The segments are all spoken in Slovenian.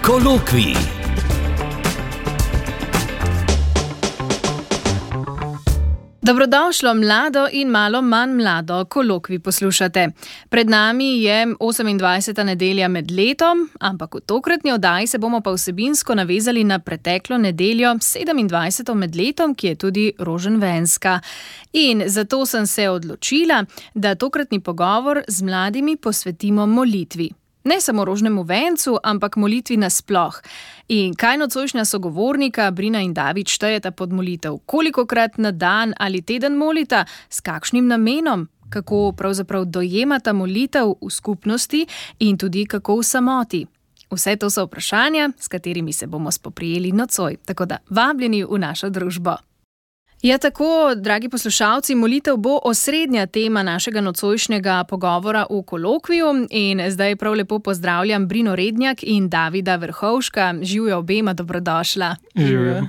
Kolokvij. Dobrodošlo mlado in malo manj mlado, Kolokvij poslušate. Pred nami je 28. nedelja med letom, ampak v tokratni oddaji se bomo pa vsebinsko navezali na preteklo nedeljo, 27. med letom, ki je tudi roženvenska. In zato sem se odločila, da tokratni pogovor z mladimi posvetimo molitvi. Ne samo rožnemu vencu, ampak molitvi nasploh. In kaj nocojšnja sogovornika Brina in David štejeta pod molitev? Kolikokrat na dan ali teden molita? S kakšnim namenom? Kako pravzaprav dojemata molitev v skupnosti in tudi kako v samoti? Vse to so vprašanja, s katerimi se bomo spoprijeli nocoj. Tako da vabljeni v našo družbo. Ja, tako, dragi poslušalci, molitev bo osrednja tema našega nocojšnjega pogovora v Kolokviju in zdaj prav lepo pozdravljam Brino Rednjak in Davida Vrhovška. Živjo obema, dobrodošla. Živjo.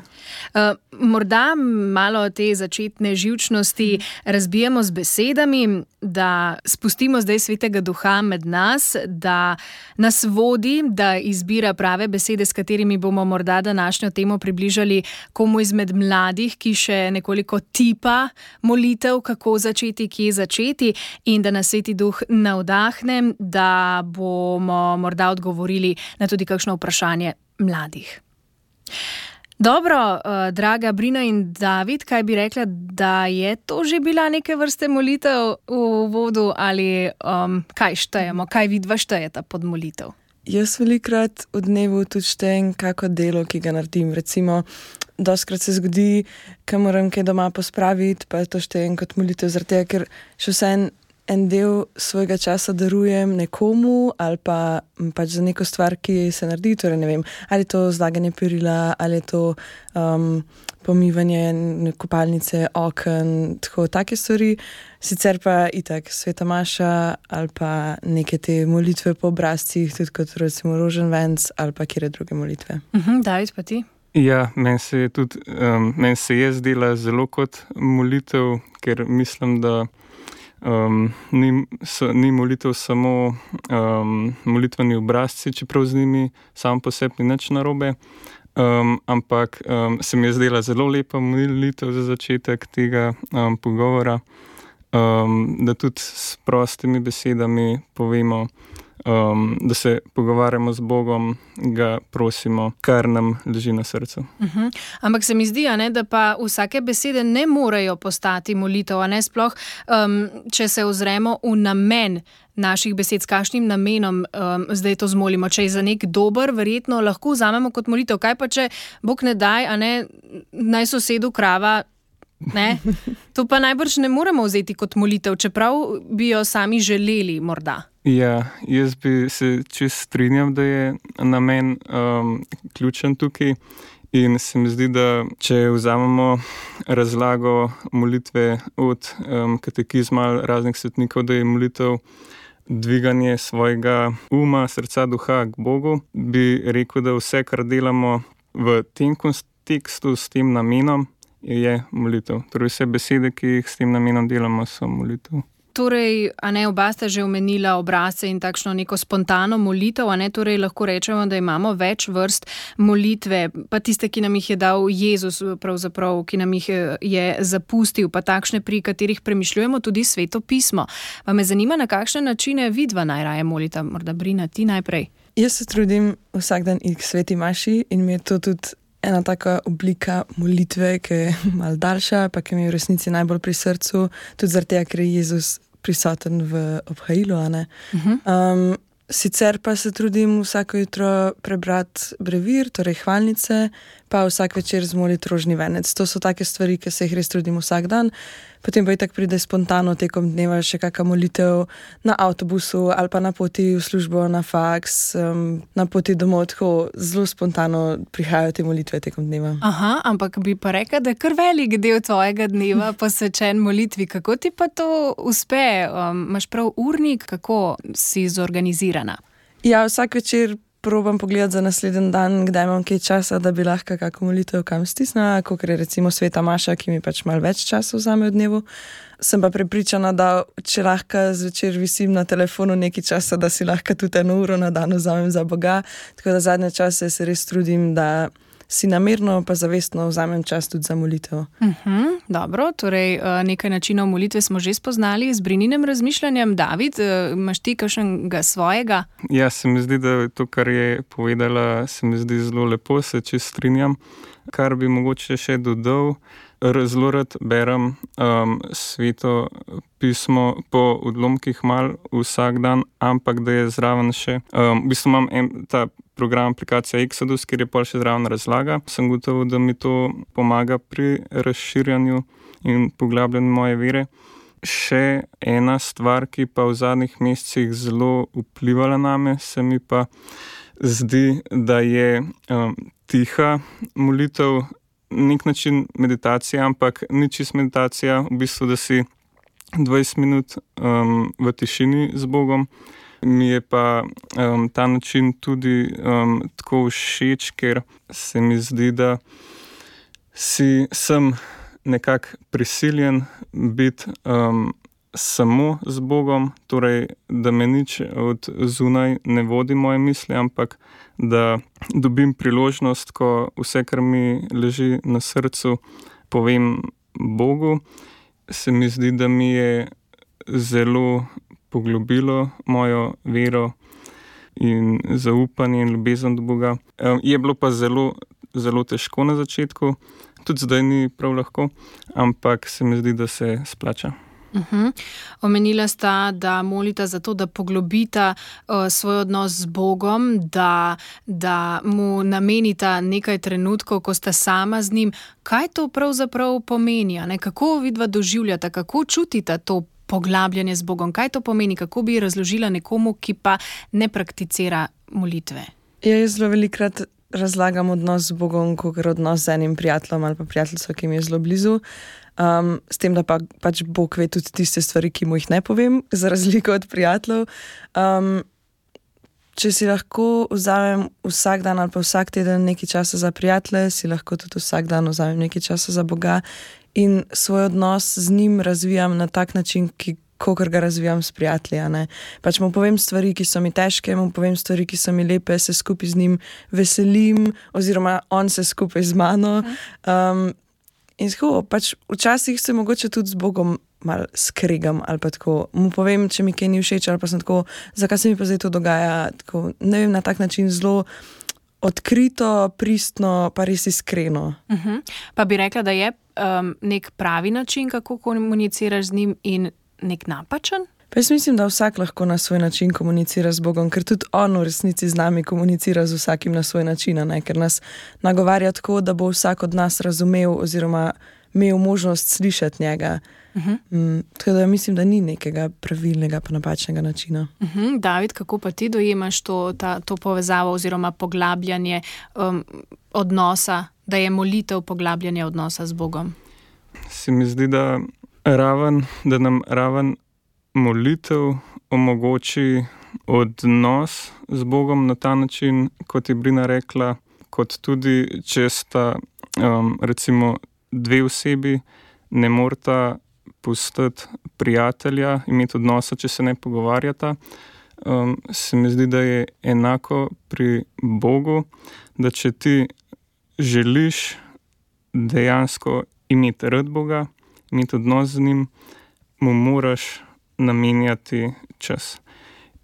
Morda malo te začetne živčnosti razbijemo z besedami, da spustimo zdaj Svetega Duha med nas, da nas vodi, da izbira prave besede, s katerimi bomo morda današnjo temo približali komu izmed mladih, ki še nekoliko tipa molitev, kako začeti, kje začeti, in da nas Sveti Duh navdahne, da bomo morda odgovorili na tudi kakšno vprašanje mladih. Dobro, draga Brina in David, kaj bi rekla, da je to že bila neke vrste molitev v uvodu ali kaj štejemo, kaj vidva štejeta pod molitev? Jaz velikrat v dnevu tudi štejem kako delo, ki ga naredim. Recimo, dostikrat se zgodi, ko moram kaj doma pospraviti, pa to štejem kot molitev, zaradi tega, ker še vsaj en del svojega časa darujem nekomu ali pa pač za neko stvar, ki se naredi, torej ne vem, ali je to zlaganje perila, ali je to pomivanje kopalnice, oken, tako take stvari. Sicer pa itak sveta maša ali pa neke te molitve po obrazcih, tudi kot recimo roženvenc ali pa kjer druge molitve. David, pa ti? Ja, meni se je zdela zelo kot molitev, ker mislim, da ni molitev samo molitveni obrazci, čeprav z njimi sam po sebi ni nič narobe, ampak se mi je zdela zelo lepa molitev za začetek tega pogovora, da tudi s prostimi besedami povemo, da se pogovarjamo z Bogom, ga prosimo, kar nam leži na srcu. Ampak se mi zdi, da pa vsake besede ne morejo postati molitev, sploh, če se ozremo v namen naših besed, s kakšnim namenom zdaj to zmolimo. Če je za nek dober, verjetno lahko vzamemo kot molitev. Kaj pa če Bog ne daj, naj sosedu krava, ne? To pa najbrž ne moremo vzeti kot molitev, čeprav bi jo sami želeli morda. Ja, jaz bi se čisto strinjal, da je namen ključen tukaj in se mi zdi, da če vzamemo razlago molitve od katekizma raznih svetnikov, da je molitev dviganje svojega uma, srca, duha k Bogu, bi rekel, da vse, kar delamo v tem kontekstu s tem namenom, je molitev. Torej vse besede, ki jih s tem namenom delamo, so molitev. Torej, oba sta že omenila obrazce in takšno neko spontano molitev, torej lahko rečemo, da imamo več vrst molitve, pa tiste, ki nam jih je dal Jezus, pravzaprav, ki nam jih je zapustil, pa takšne, pri katerih premišljujemo tudi Sveto pismo. Pa me zanima, na kakšne načine vidva najraje molita. Morda Brina, ti najprej. Jaz se trudim vsak dan iti k sveti maši in mi je to tudi ena taka oblika molitve, ki je malo daljša, pa ki mi je v resnici najbolj pri srcu, tudi zaradi tega, ker je Jezus prisoten v obhajilu. Sicer pa se trudim vsako jutro prebrati brevir, torej hvalnice, pa vsak večer zmoliti rožni venec. To so take stvari, ki se jih res trudim vsak dan. Potem pa itak pride spontano tekom dneva še kakšna molitev na avtobusu ali pa na poti v službo, na faks, na poti domov, tako zelo spontano prihajajo te molitve tekom dneva. Ampak bi pa rekla, da je kar velik del tvojega dneva posvečen molitvi. Kako ti pa to uspe? Imaš prav urnik? Kako si zorganizirana? Ja, vsak večer probam pogledati za naslednji dan, kdaj imam kaj časa, da bi lahko kako molitev kam stisnila, kot je recimo Sveta Maša, ki mi pač malo več časa vzame v dnevu. Sem pa prepričana, da če lahko zvečer visim na telefonu nekaj časa, da si lahko tudi 1 uro na dan vzamem za Boga. Tako da zadnje čase se res trudim, da si namerno pa zavestno vzamem čas tudi za molitev. Dobro, torej nekaj načinov molitve smo že spoznali z Brininem razmišljanjem. David, imaš ti kakšnega svojega? Ja, se mi zdi, da to, kar je povedala, se mi zdi zelo lepo, se čisto strinjam. Kar bi mogoče še dodal, zelo rad berem Sveto pismo po odlomkih mal vsak dan, ampak da je zraven še. V bistvu imam ta program aplikacija Exodus, kjer je pol še zraven razlaga. Sem gotovo, da mi to pomaga pri razširjanju in poglabljanju moje vere. Še ena stvar, ki pa v zadnjih mesecih zelo vplivala name, se mi pa zdi, da je tiha molitev, nek način meditacije, ampak ni čist meditacija, v bistvu, da si 20 minut v tišini z Bogom. Mi je pa ta način tudi tako všeč, ker se mi zdi, da sem nekako prisiljen biti samo z Bogom, torej da me nič od zunaj ne vodi moje misli, ampak da dobim priložnost, ko vse, kar mi leži na srcu, povem Bogu. Se mi zdi, da mi je zelo poglobilo mojo vero in zaupanje in ljubezen do Boga. Je bilo pa zelo, zelo težko na začetku, tudi zdaj ni prav lahko, ampak se mi zdi, da se splača. Omenila sta, da molita za to, da poglobita svoj odnos z Bogom, da mu namenita nekaj trenutkov, ko sta sama z njim. Kaj to pravzaprav pomeni? Kako vidva doživljata, kako čutita to poglabljanje z Bogom? Kaj to pomeni? Kako bi razložila nekomu, ki pa ne prakticira molitve? Jaz zelo velikokrat razlagam odnos z Bogom, kot odnos z enim prijateljem ali pa prijateljstvo, ki mi je zelo blizu. S tem, da pač Bog ve tudi tiste stvari, ki mu jih ne povem, za razliko od prijateljev. Če si lahko vzamem vsak dan ali pa vsak teden nekaj časa za prijatelje, si lahko tudi vsak dan vzamem nekaj časa za Boga in svoj odnos z njim razvijam na tak način, kakor ga razvijam s prijatelji. Pač mu povem stvari, ki so mi težke, mu povem stvari, ki so mi lepe, se skupaj z njim veselim oziroma on se skupaj z mano. In tako, pač včasih se mogoče tudi z Bogom malo skregam ali pa tako, mu povem, če mi kaj ni všeč ali pa sem tako, zakaj se mi pa zdaj to dogaja, tako, ne vem, na tak način zelo odkrito, pristno, pa res iskreno. Pa bi rekla, da je nek pravi način, kako komuniciraš z njim in nek napačen? Pa jaz mislim, da vsak lahko na svoj način komunicira z Bogom, ker tudi on v resnici z nami komunicira z vsakim na svoj način, ker nas nagovarja tako, da bo vsak od nas razumel oziroma imel možnost slišati njega. Tako da mislim, da ni nekega pravilnega pa napačnega načina. David, kako pa ti dojemaš to povezavo oziroma poglabljanje odnosa, da je molitev poglabljanje odnosa z Bogom? Se mi zdi, da nam raven molitev omogoči odnos z Bogom na ta način, kot je Brina rekla, kot tudi, če sta recimo 2 osebi, ne morata pustiti prijatelja, imeti odnosa, če se ne pogovarjata. Se mi zdi, da je enako pri Bogu, da če ti želiš dejansko imeti rad Boga, imeti odnos z njim, mu moraš namenjati čas.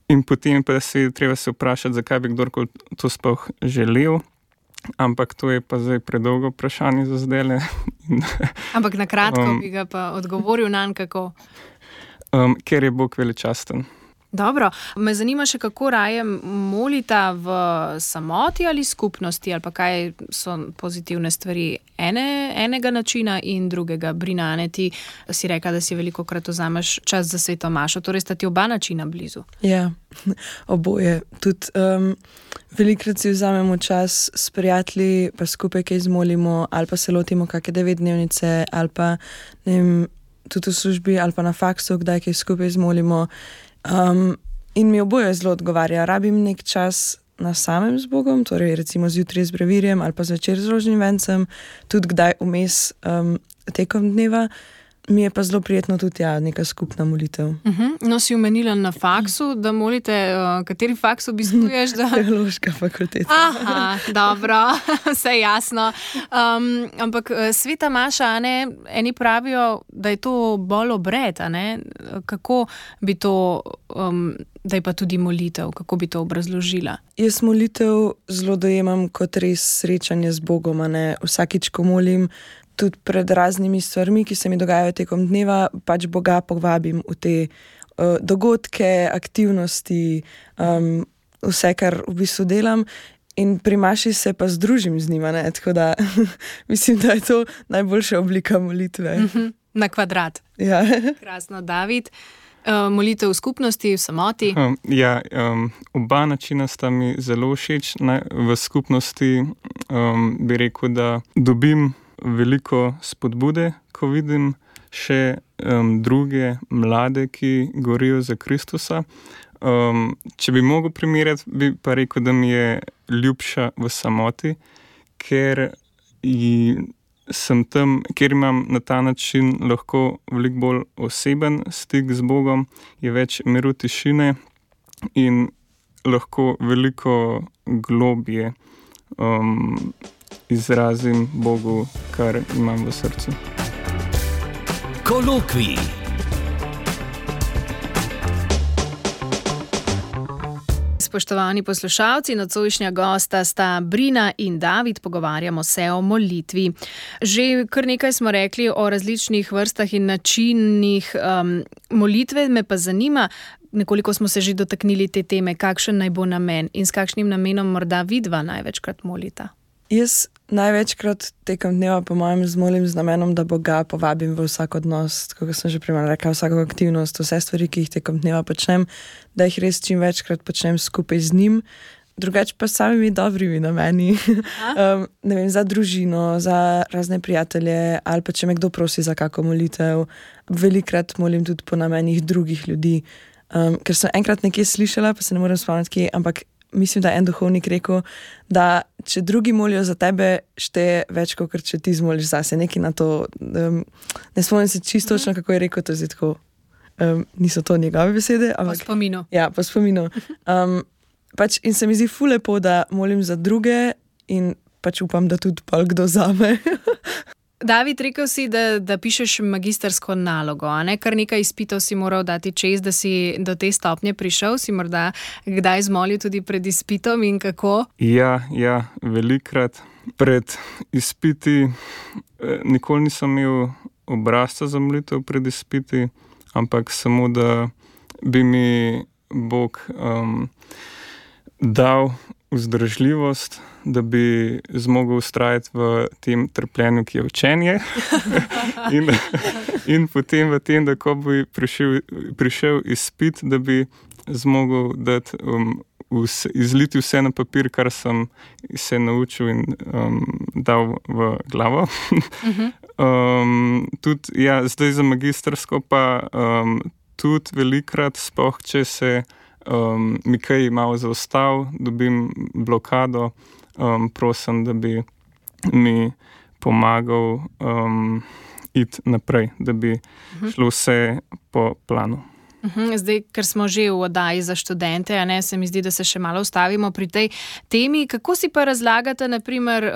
In potem pa treba se vprašati, zakaj bi kdorkoli to sploh želel, ampak to je pa zdaj predolgo vprašanje za zdajle. Ampak na kratko bi ga pa odgovoril nanj, kako? Ker je Bog veličasten. Dobro, me zanima še, kako raje molita v samoti ali skupnosti, ali pa kaj so pozitivne stvari enega načina in drugega. Brina, ti si rekla, da si velikokrat vzameš čas za Sveto Mašo, torej sta ti oba načina blizu. Ja, oboje. Tudi velikokrat si vzamemo čas s prijatelji, pa skupaj kaj zmolimo, ali pa se lotimo kakšne 9-dnevnice, ali pa ne vem, tudi v službi, ali pa na faksu, kdaj kaj skupaj zmolimo. In mi oboje zelo odgovarja. Rabim nek čas na samem z Bogom, torej recimo zjutraj z brevirjem ali pa zvečer z rožnim vencem, tudi kdaj vmes tekom dneva. Mi je pa zelo prijetno tudi neka skupna molitev. No, si omenila na faksu, da molite, kateri faks obiskuješ? Teološka fakulteta. Aha, dobro, vse jasno. Ampak sveta maša, eni pravijo, da je to bolj obred, kako bi to, da je pa tudi molitev, kako bi to obrazložila? Jaz molitev zelo dojemam kot res srečanje z Bogom, vsakič, ko molim, tudi pred raznimi stvarmi, ki se mi dogajajo tekom dneva, pač Boga povabim v te dogodke, aktivnosti, vse, kar v bistvu delam, in pri maši se pa združim z njima, tako da mislim, da je to najboljša oblika molitve. Na kvadrat. Ja. Krasno, David. Molitev v skupnosti, v samoti? Oba načina sta mi zelo všeč. V skupnosti bi rekel, da dobim veliko spodbude, ko vidim še druge mlade, ki gorijo za Kristusa. Če bi mogel primerjati, bi pa rekel, da mi je ljubša v samoti, ker sem tam, kjer imam na ta način lahko veliko bolj oseben stik z Bogom, je več miru, tišine in lahko veliko globje izrazim Bogu, kar imam v srcu. Kolokvij. Spoštovani poslušalci, nocojšnja gosta sta Brina in David, pogovarjamo se o molitvi. Že kar nekaj smo rekli o različnih vrstah in načinih molitve, me pa zanima, nekoliko smo se že dotaknili te teme, kakšen naj bo namen in s kakšnim namenom morda vidva največkrat molita. Jaz največkrat tekom dneva po mojem zmolim z namenom, da Boga povabim v vsak odnos, kako sem že prej rekla, vsako aktivnost, vse stvari, ki jih tekom dneva počnem, da jih res čim večkrat počnem skupaj z njim, drugače pa s samimi dobrimi nameni. Ne vem, za družino, za razne prijatelje ali pa če me kdo prosi za kako molitev. Velikrat molim tudi po namenih drugih ljudi, ker sem enkrat nekje slišala, pa se ne morem spomniti, ampak mislim, da je en duhovnik rekel, da če drugi molijo za tebe, šteje več, kot če ti zmoliš zase. Nekaj na to, ne spomnim se čisto točno, kako je rekel, to je tako, niso to njegove besede. Ampak, po spominu. Ja, po spominu. Pač, in se mi zdi ful lepo, da molim za druge in pač upam, da tudi pol kdo zame. David, rekel si, da pišeš magistersko nalogo, Kar nekaj izpitov si moral dati čez, da si do te stopnje prišel, si morda kdaj zmolil tudi pred izpitom in kako? Ja, velikrat. Pred izpiti nikoli nisem imel obrazca za molitev pred izpiti, ampak samo, da bi mi Bog dal vzdržljivost, da bi zmogel vztrajati v tem trpljenju, ki je učenje. in potem v tem, da ko bi prišel izpit, da bi zmogel dati, izliti vse na papir, kar sem se naučil in dal v glavo. Tudi, zdaj za magistersko pa tudi velikrat, sploh če se mi kaj malo zaostal, dobim blokado, prosim, da bi mi pomagal iti naprej, da bi šlo vse po planu. Zdaj, ker smo že v oddaji za študente, se mi zdi, da se še malo ustavimo pri tej temi. Kako si pa razlagate, naprimer,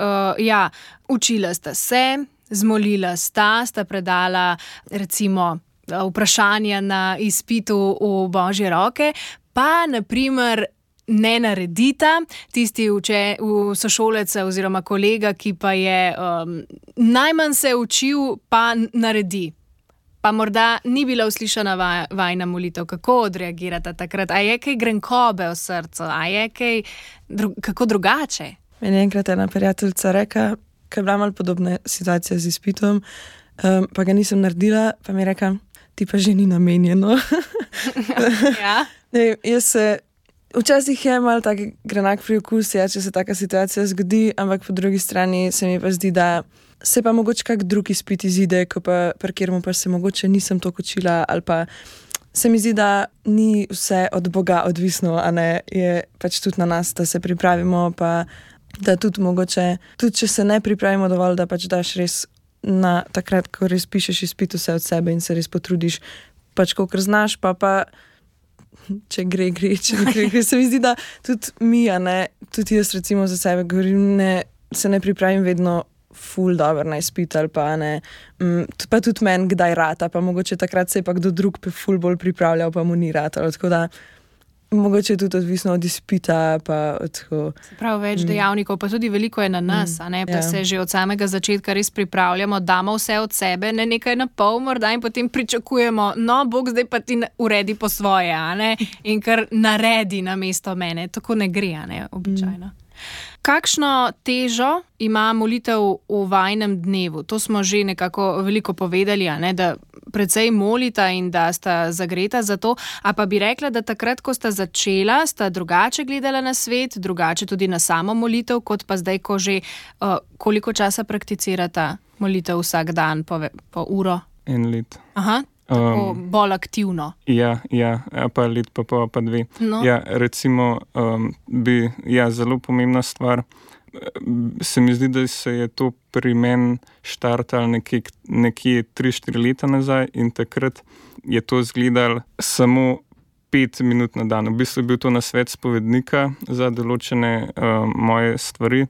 učila sta se, zmolila sta predala recimo vprašanja na izpitu v Božje roke, pa naprimer ne naredita tisti sošolec oziroma kolega, ki pa je najmanj se učil, pa naredi. Pa morda ni bila uslišana vajna molitev. Kako odreagirata takrat? A je kaj grenkobe v srcu? A je kaj kako drugače? Meni je enkrat ena prijateljica rekla, ker je bila malo podobna situacija z izpitom, pa ga nisem naredila, pa mi je rekla, ti pa že ni namenjeno. Ja? Ne, včasih je malo tak grenak priokus, če se taka situacija zgodi, ampak po drugi strani se mi pa zdi, da se pa mogoče kak drug izpit izide, ko pa pri katerem pa se mogoče nisem toliko učila ali pa se mi zdi, da ni vse od Boga odvisno, a ne, je pač tudi na nas, da se pripravimo, pa da tudi mogoče, tudi če se ne pripravimo dovolj, da pač daš res na takrat, ko res pišeš izpit vse od sebe in se res potrudiš, pač kolikor znaš, pa če gre, če ne gre. Se mi zdi, da tudi mi, a ne, tudi jaz recimo za sebe govorim, se ne pripravim vedno ful dobro na izpit ali pa ne, pa tudi meni kdaj rata, pa mogoče takrat se je pa kdo drug ful bolj pripravljal, pa mu ni ratalo, tako da mogoče je tudi odvisno od izpita, pa od tako. Prav več dejavnikov, pa tudi veliko je na nas, a ne, pa se že od samega začetka res pripravljamo, damo vse od sebe, ne nekaj na pol morda in potem pričakujemo, no, Bog zdaj pa ti uredi po svoje, a ne, in kar naredi namesto mene, tako ne gre, a ne, običajno. Kakšno težo ima molitev v vajinem dnevu? To smo že nekako veliko povedali, a ne, da precej molita in da sta zagreta za to, a pa bi rekla, da takrat, ko sta začela, sta drugače gledala na svet, drugače tudi na samo molitev, kot pa zdaj, ko že koliko časa prakticirata molitev vsak dan, po uro? 1 let. Aha. Tako bolj aktivno. Ja, pa let pa 2. No. Ja, recimo, zelo pomembna stvar. Se mi zdi, da se je to pri meni štartalo nekje 3-4 leta nazaj in takrat je to izgledalo samo 5 minut na dan. V bistvu je bil to nasvet spovednika za določene moje stvari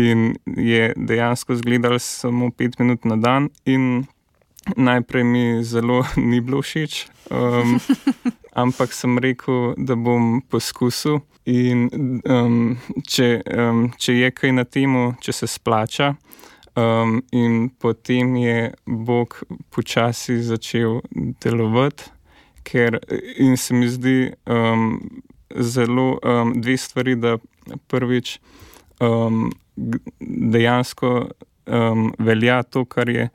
in je dejansko izgledalo samo 5 minut na dan in najprej mi zelo ni bilo všeč, ampak sem rekel, da bom poskusil in če je kaj na temu, če se splača, in potem je Bog počasi začel delovati, in se mi zdi zelo 2 stvari, da prvič dejansko velja to, kar je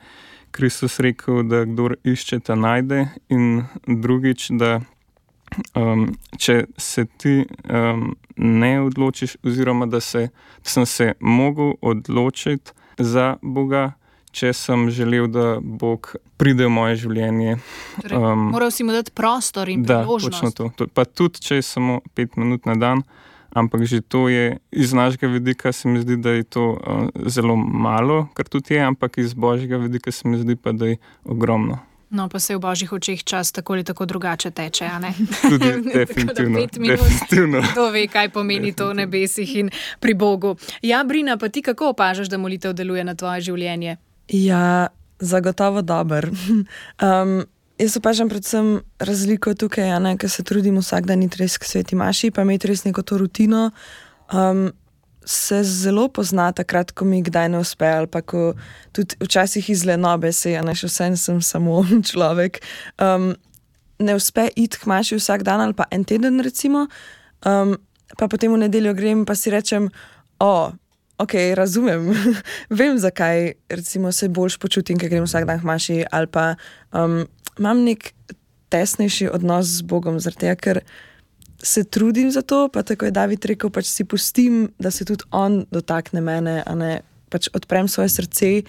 Kristus rekel, da kdor išče, ta najde, in drugič, da če se ti ne odločiš, oziroma da sem se mogel odločiti za Boga, če sem želel, da Bog pride v moje življenje. Moral si mu dati prostor in priložnost. Da, točno to. Pa tudi, če je samo 5 minut na dan, ampak že to je, iz našega vidika se mi zdi, da je to zelo malo, kar tudi je, ampak iz Božjega vidika se mi zdi pa, da je ogromno. No, pa se v Božjih očeh čas tako ali tako drugače teče, a ne? Tudi definitivno. Kdo ve, kaj pomeni to v nebesih in pri Bogu. Ja, Brina, pa ti kako opažaš, da molitev deluje na tvoje življenje? Ja, zagotovo dober. Jaz opažam predvsem razliko tukaj, ker se trudim vsak dan iti res k sveti maši, pa imeti res neko to rutino. Se zelo pozna takrat, ko mi kdaj ne uspe, ali pa ko tudi včasih iz lenobe se, še vsem sem samo človek, ne uspe iti k maši vsak dan ali pa en teden recimo, pa potem v nedeljo grem pa si rečem, ok, razumem, vem zakaj recimo se boljš počutim, ker grem vsak dan k maši, ali pa imam nek tesnejši odnos z Bogom, zaradi tega, ker se trudim za to, pa tako je David rekel, pač si pustim, da se tudi on dotakne mene, a ne, pač odprem svoje srce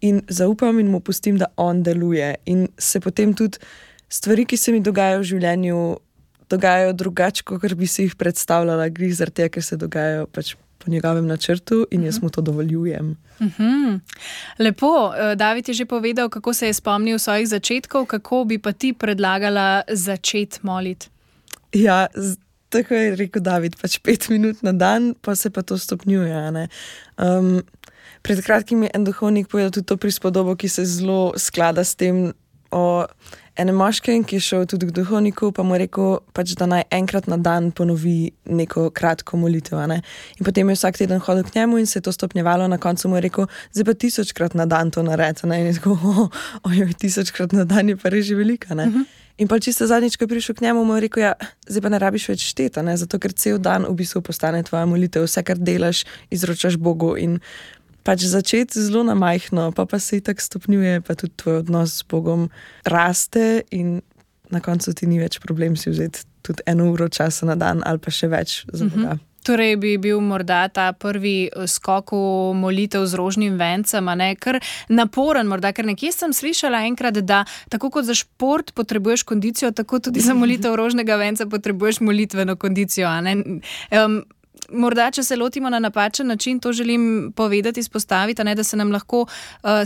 in zaupam in mu pustim, da on deluje. In se potem tudi stvari, ki se mi dogajajo v življenju, dogajajo drugače, kot bi si jih predstavljala, glih zaradi tega, ker se dogajajo pač po njegovem načrtu in jaz mu to dovoljujem. Lepo, David je že povedal, kako se je spomnil svojih začetkov, kako bi pa ti predlagala začeti moliti? Ja, tako je rekel David, pač 5 minut na dan, pa se pa to stopnjuje, ne. Pred kratkim je en duhovnik povedal tudi to prispodobo, ki se zelo sklada s tem, o enem moškem, ki je šel tudi k duhovniku, pa mu je rekel, pač, da naj enkrat na dan ponovi neko kratko molitev, ne. In potem je vsak teden hodil k njemu in se je to stopnjevalo, na koncu mu je rekel, zdaj pa 1000-krat na dan to naredi, ne. In je tako, 1000-krat na dan je pa res že velika, ne. In pa čisto zadnjič, ko je prišel k njemu, mu je rekel, zdaj pa ne rabiš več šteti, ne, zato ker cel dan v bistvu postane tvoja molitev, vse, kar delaš, izročaš Bogu in pač začeti zelo na majhno, pa se itak stopnjuje, pa tudi tvoj odnos s Bogom raste in na koncu ti ni več problem si vzeti tudi 1 uro časa na dan ali pa še več za Boga. Torej bi bil morda ta prvi skok v molitev z rožnim vencem, a ne, kar naporen morda, ker nekje sem slišala enkrat, da tako kot za šport potrebuješ kondicijo, tako tudi za molitev rožnega venca potrebuješ molitveno kondicijo, a ne. Morda, če se lotimo na napačen način, to želim povedati, izpostaviti, a ne, da se nam lahko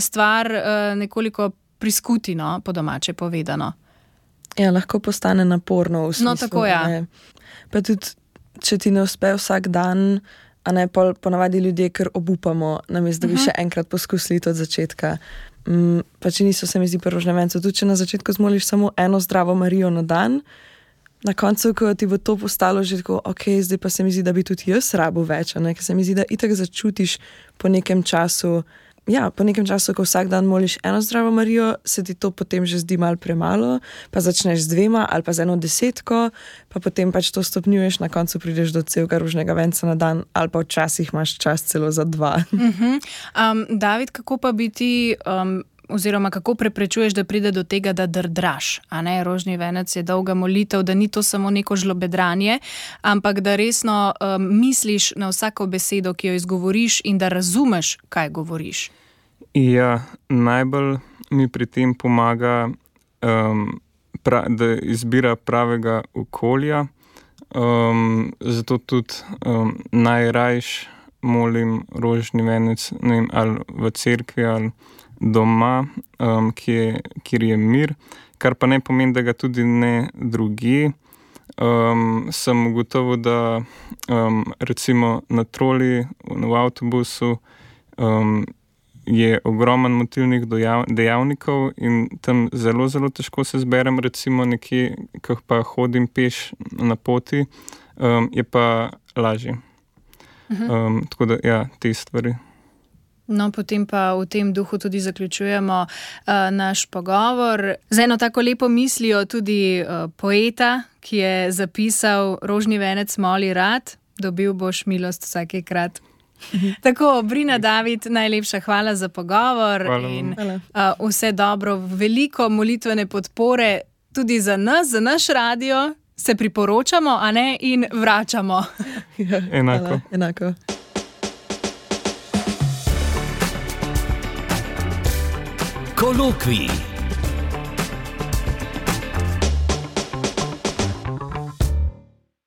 stvar nekoliko priskuti, no, po domače povedano. Ja, lahko postane naporno v smislu. No, tako, ja. Ne. Pa tudi, če ti ne uspe vsak dan, a ne, ponavadi ljudje kar obupamo, namesto da bi še enkrat poskusili od začetka. Pa če niso, se mi zdi, pri rožnem vencu, tudi če na začetku zmoliš samo eno zdravo Marijo na dan, na koncu, ko ti bo to postalo že tako, ok, zdaj pa se mi zdi, da bi tudi jaz rabil več, a ne, ker se mi zdi, da itak začutiš po nekem času, ko vsak dan moliš eno zdravo Marijo, se ti to potem že zdi malo premalo, pa začneš z 2 ali pa z 1 desetko, pa potem pač to stopnjuješ, na koncu prideš do celega rožnega venca na dan, ali pa včasih imaš čas celo za 2. David, kako pa bi ti, oziroma kako preprečuješ, da pride do tega, da drdraš, a ne, rožni venec je dolga molitev, da ni to samo neko žlobedranje, ampak da resno misliš na vsako besedo, ki jo izgovoriš in da razumeš, kaj govoriš. Ja, najbolj mi pri tem pomaga, da izbira pravega okolja, zato tudi najrajš molim rožni venec, ne vem, ali v cerkvi ali doma, kjer je mir, kar pa ne pomeni, da ga tudi ne drugje. Sem ugotovil, da recimo na troli, v avtobusu je ogromen motilnih dejavnikov in tam zelo, zelo težko se zberem, recimo nekje, ko pa hodim peš na poti, je pa lažje. Tako da, ja, te stvari. No, potem pa v tem duhu tudi zaključujemo naš pogovor. Z eno tako lepo mislijo tudi poeta, ki je zapisal: rožni venec moli rad, dobil boš milost vsakekrat. Tako, Brina, David, najlepša hvala za pogovor. Hvala. In vse dobro, veliko molitvene podpore tudi za nas, za naš radio. Se priporočamo, a ne, in vračamo. Ja, enako. Enako. Kolokvij.